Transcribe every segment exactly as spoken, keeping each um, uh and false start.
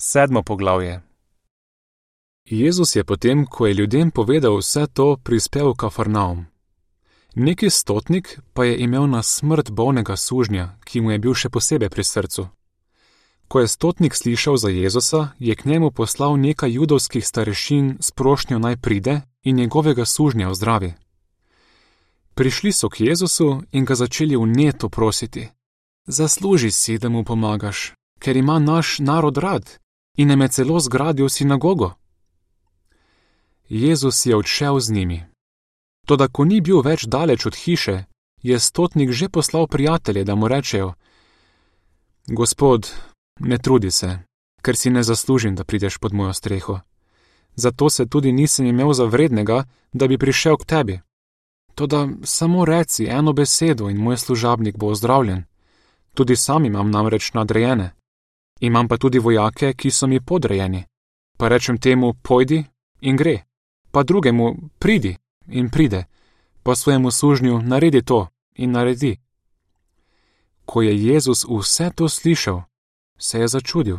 Sedmo poglavje. Jezus je potem, ko je ljudem povedal vse to, prispel v Kafarnaum. Neki stotnik pa je imel na smrt bolnega sužnja, ki mu je bil še posebej pri srcu. Ko je stotnik slišal za Jezusa, je k njemu poslal nekaj judovskih starešin s prošnjo naj pride in njegovega sužnja ozdravi. Prišli so k Jezusu in ga začeli vneto prositi: Zasluži si, da mu pomagaš, ker ima naš narod rad in nam je celo zgradil sinagogo. Jezus je odšel z njimi. Toda ko ni bil več daleč od hiše, je stotnik že poslal prijatelje, da mu rečejo: Gospod, ne trudi se, ker si ne zaslužim, da prideš pod mojo streho. Zato se tudi nisem imel za vrednega, da bi prišel k tebi. Toda samo reci eno besedo in moj služabnik bo ozdravljen. Tudi sam imam namreč nadrejene. Imam pa tudi vojake, ki so mi podrejeni. Pa rečem temu, pojdi in gre. Pa drugemu, pridi in pride. Pa svojemu sužnju, naredi to in naredi. Ko je Jezus vse to slišal, se je začudil.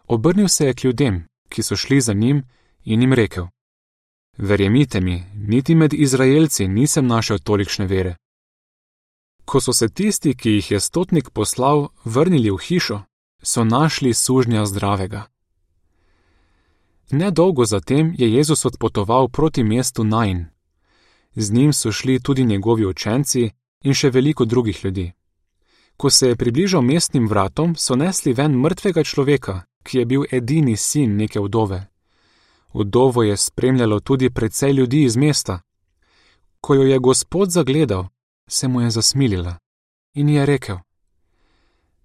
Obrnil se je k ljudem, ki so šli za njim, in jim rekel: Verjemite mi, niti med Izraelci nisem našel tolikšne vere. Ko so se tisti, ki jih je stotnik poslal, vrnili v hišo, so našli sužnja zdravega. Nedolgo zatem je Jezus odpotoval proti mestu Nain. Z njim so šli tudi njegovi učenci in še veliko drugih ljudi. Ko se je približal mestnim vratom, so nesli ven mrtvega človeka, ki je bil edini sin neke vdove. Vdovo je spremljalo tudi precej ljudi iz mesta. Ko jo je Gospod zagledal, se mu je zasmilila in je rekel: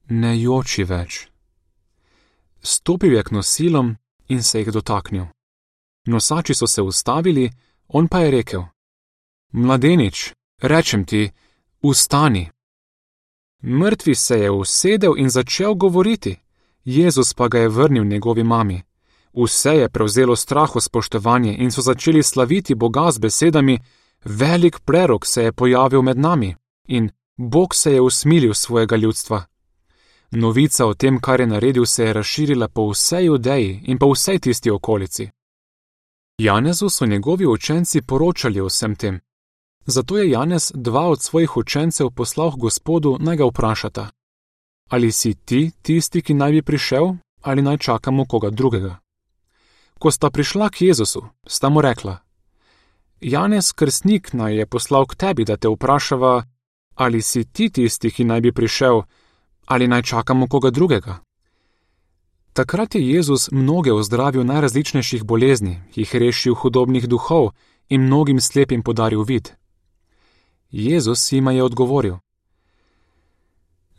Ne joči več. Stopil je k nosilom in se jih dotaknil. Nosači so se ustavili, on pa je rekel: Mladenič, rečem ti, vstani. Mrtvi se je usedel in začel govoriti, Jezus pa ga je vrnil njegovi mami. Vse je prevzelo straho spoštovanje in so začeli slaviti Boga z besedami: Velik prerok se je pojavil med nami in Bog se je usmilil svojega ljudstva. Novica o tem, kar je naredil, se je razširila po vsej Judeji in po vsej tisti okolici. Janezu so njegovi učenci poročali o vsem tem. Zato je Janez dva od svojih učencev poslal k Gospodu, naj ga vprašata: Ali si ti tisti, ki naj bi prišel, ali naj čakamo koga drugega? Ko sta prišla k Jezusu, sta mu rekla: Janez Krstnik naj je poslal k tebi, da te vprašava, ali si ti tisti, ki naj bi prišel, ali naj čakamo koga drugega. Takrat je Jezus mnoge ozdravil najrazličnejših bolezni, jih rešil hudobnih duhov in mnogim slepim podaril vid. Jezus jima je odgovoril: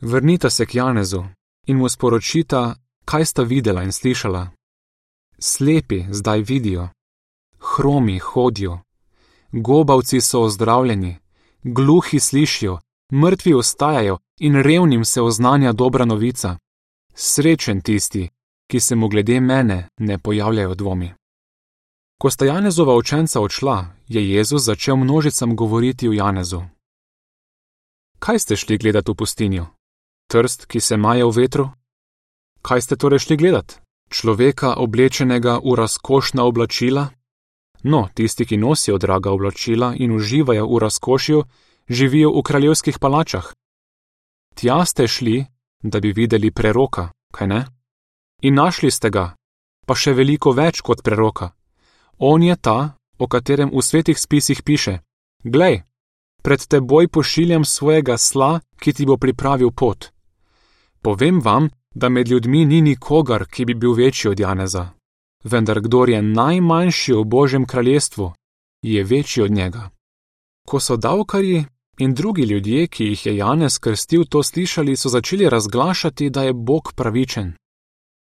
Vrnita se k Janezu in mu sporočita, kaj sta videla in slišala. Slepi zdaj vidijo, hromi hodijo, gobavci so ozdravljeni, gluhi slišijo, mrtvi ostajajo in revnim se oznanja dobra novica. Srečen tisti, ki se mu glede mene ne pojavljajo dvomi. Ko sta Janezova učenca odšla, je Jezus začel množicam govoriti o Janezu. Kaj ste šli gledat v pustinjo? Trst, ki se maje v vetru? Kaj ste torej šli gledat? Človeka oblečenega v razkošna oblačila? No, tisti, ki nosijo draga oblačila in uživajo v razkošju, živijo v kraljevskih palačah. Tja ste šli, da bi videli preroka, kaj ne? In našli ste ga, pa še veliko več kot preroka. On je ta, o katerem v svetih spisih piše: Glej, pred teboj pošiljam svojega sla, ki ti bo pripravil pot. Povem vam, da med ljudmi ni nikogar, ki bi bil večji od Janeza. Vendar kdor je najmanjši v Božjem kraljestvu, je večji od njega. Ko so davkarji in drugi ljudje, ki jih je Janez krstil, to slišali, so začeli razglašati, da je Bog pravičen.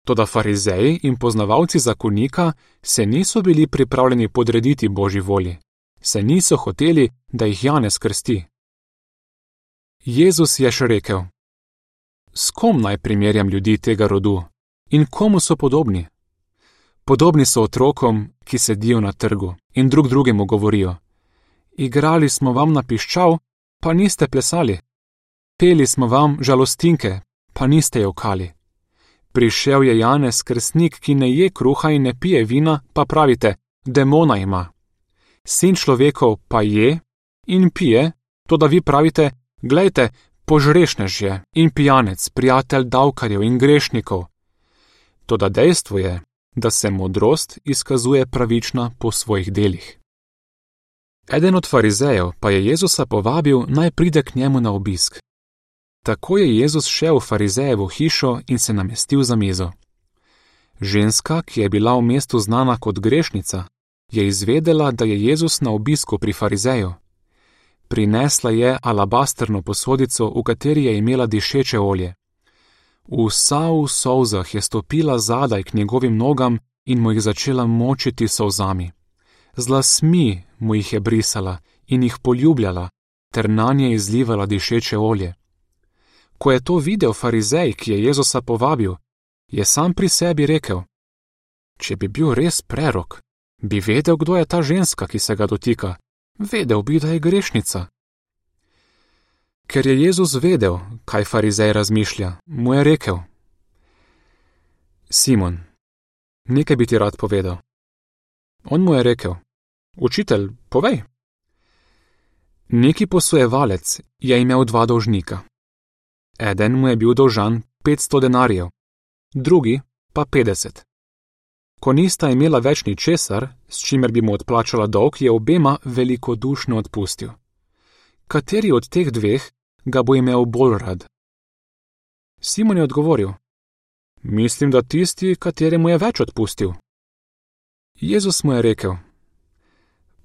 Toda farizeji in poznavalci zakonika se niso bili pripravljeni podrediti Božji volji, se niso hoteli, da jih Janez krsti. Jezus je še rekel: S kom naj primerjam ljudi tega rodu in komu so podobni? Podobni so otrokom, ki sedijo na trgu in drug drugemu govorijo: Igrali smo vam na piščal, pa niste plesali. Peli smo vam žalostinke, pa niste jokali. Prišel je Janez Krstnik, ki ne je kruha in ne pije vina, pa pravite, demona ima. Sin človekov pa je in pije, to da vi pravite, glejte, požrešnež je in pijanec, prijatelj davkarjev in grešnikov. Toda dejstvo je, da se modrost izkazuje pravična po svojih delih. Eden od farizejev pa je Jezusa povabil, naj pride k njemu na obisk. Tako je Jezus šel v farizejevo hišo in se namestil za mizo. Ženska, ki je bila v mestu znana kot grešnica, je izvedela, da je Jezus na obisku pri farizeju. Prinesla je alabasterno posodico, v kateri je imela dišeče olje. Vsa v solzah je stopila zadaj k njegovim nogam in mu jih začela močiti solzami. Z lasmi mu jih je brisala in jih poljubljala, ter nanje izlivala dišeče olje. Ko je to videl farizej, ki je Jezusa povabil, je sam pri sebi rekel: če bi bil res prerok, bi vedel, kdo je ta ženska, ki se ga dotika, vedel bi, da je grešnica. Ker je Jezus vedel, kaj farizej razmišlja, mu je rekel: Simon, nekaj bi ti rad povedal. On mu je rekel: Učitelj, povej. Neki posojevalec je imel dva dolžnika. Eden mu je bil dolžan petsto denarjev, drugi pa petdeset. Ko nista imela več ničesar, s čimer bi mu odplačala dolg, je obema velikodušno odpustil. Kateri od teh dveh ga bo imel bolj rad? Simon je odgovoril: Mislim, da tisti, kateremu je več odpustil. Jezus mu je rekel: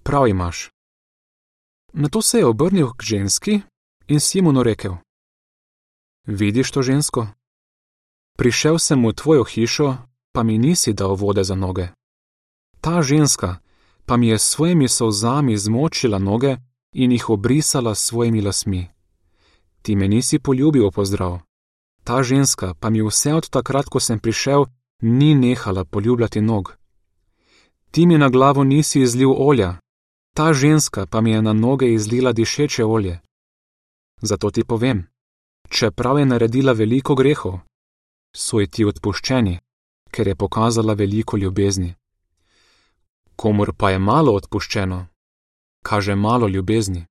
Prav imaš. Nato se je obrnil k ženski in Simonu rekel: Vidiš to žensko? Prišel sem v tvojo hišo, pa mi nisi dal vode za noge. Ta ženska pa mi je s svojimi solzami zmočila noge in jih obrisala s svojimi lasmi. Ti me nisi poljubil v pozdrav. Ta ženska pa mi vse od takrat, ko sem prišel, ni nehala poljubljati nog. Ti mi na glavo nisi izlil olja, ta ženska pa mi je na noge izlila dišeče olje. Zato ti povem, čeprav je naredila veliko grehov, so ji ti odpuščeni, ker je pokazala veliko ljubezni. Komur pa je malo odpuščeno, kaže malo ljubezni.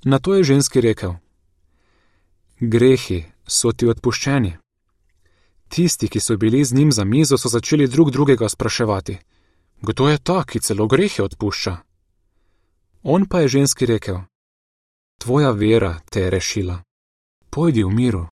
Nato je ženski rekel: Grehi so ti odpuščeni. Tisti, ki so bili z njim za mizo, so začeli drug drugega spraševati: Kdo je ta, ki celo grehe odpušča? On pa je ženski rekel: Tvoja vera te je rešila. Pojdi v miru.